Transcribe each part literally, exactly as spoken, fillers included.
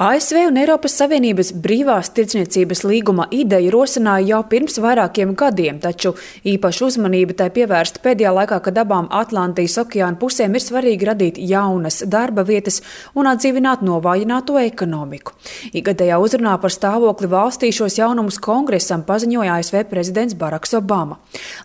A S V un Eiropas Savienības brīvās tirdzniecības līguma ideja rosināja jau pirms vairākiem gadiem, taču īpašu uzmanību tai pievērst pēdējā laikā, kad abām Atlantijas okeāna pusēm ir svarīgi radīt jaunas darba vietas un atdzīvināt novājināto ekonomiku. Ikgadējā uzrunā par stāvokli valstī šos jaunumus kongresam paziņoja A S V prezidents Baraks Obama.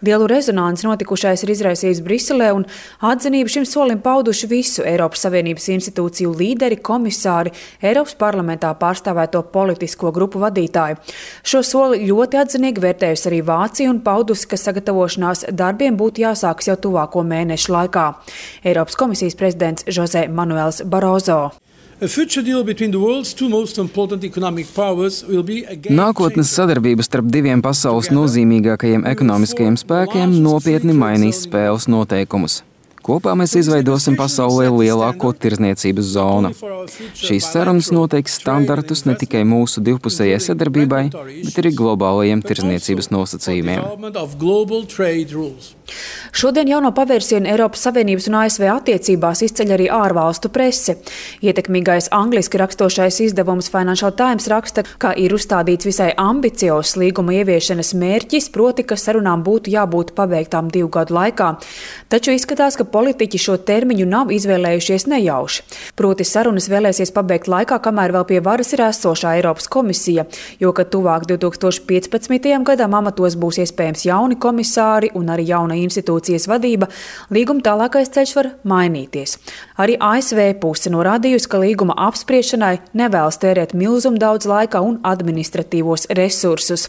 Lielu rezonanci notikušais ir izraisījis Briselē, un atzinību šim solim pauduši visu Eiropas Savienības institūciju līderi, komisāri, Eiropas parlamentā pārstāvēto politisko grupu vadītāju. Šo soli ļoti atzinīgi vērtējusi arī Vācija un paudusi, ka sagatavošanās darbiem būtu jāsākas jau tuvāko mēnešu laikā. Eiropas komisijas prezidents José Manuels Barroso. Nākotnes sadarbība starp diviem pasaules nozīmīgākajiem ekonomiskajiem spēkiem nopietni mainīs spēles noteikumus. Kopā mēs izveidosim pasaulē lielāko tirdzniecības zonu. Šīs sarunas noteiks standartus ne tikai mūsu divpusējai sadarbībai, bet arī globālajiem tirdzniecības nosacījumiem. Šodien jauno pavērsienu Eiropas Savienības un A S V attiecībās izceļ arī ārvalstu prese. Ietekmīgais angliski rakstošais izdevums Financial Times raksta, ka ir uzstādīts visai ambiciozs līguma ieviešanas mērķis, proti, ka sarunām būtu jābūt pabeigtām divu gadu laikā. Taču izskatās, ka politiķi šo termiņu nav izvēlējušies nejauši. Proti sarunas vēlēsies pabeigt laikā, kamēr vēl pie varas ir esošā Eiropas komisija, jo, kad tuvāk divi tūkstoši piecpadsmitajam gadam amatos būs iespējams jauni komisāri un arī jauna institūcijas vadība, līguma tālākais ceļš var mainīties. Arī A S V puse norādījusi, ka līguma apspriešanai nevēlas tērēt milzumu daudz laika un administratīvos resursus.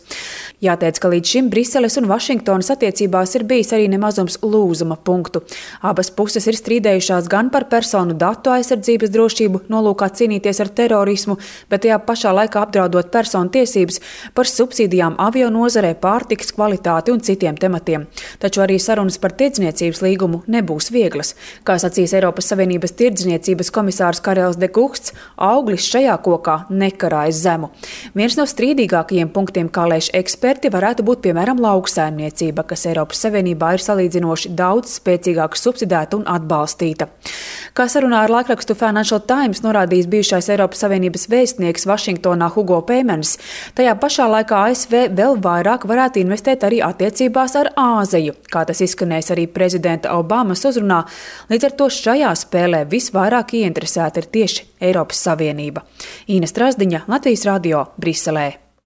Jāteic, ka līdz šim Briseles un Vašingtonas attiecībās ir bijis arī nemazums lūzuma punktu. Abas puses ir strīdējušās gan par personu datu aizsardzības drošību, nolūkā cīnīties ar terorismu, bet tajā pašā laikā apdraudot personu tiesības, par subsīdijām avio nozarē, pārtikas kvalitāti un citiem tematiem. Taču arī sarunas par tirdzniecības līgumu nebūs vieglas. Kā sacīs Eiropas Savienības tirdzniecības komisārs Karels de Guhts, auglis šajā kokā nekarājas zemu. Viens no strīdīgākajiem punktiem, kā lēš eksperti, varētu būt piemēram lauksaimniecība, kas Eiropas Savienībā ir salīdzinoši daudz spēcīgāk subsidēta un atbalstīta. Kā sarunā ar laikrakstu Financial Times norādījis bijušais Eiropas Savienības vēstnieks Vašingtonā Hugo Peimans, tajā pašā laikā A S V vēl vairāk varētu investēt arī attiecībās ar Āziju, kā tas izskanēs arī prezidenta Obamas uzrunā. Līdz ar to šajā spēlē visvairāk ieinteresēta ir tieši Eiropas Savienība. Īna Strazdiņa, Latvijas radio, Briselē.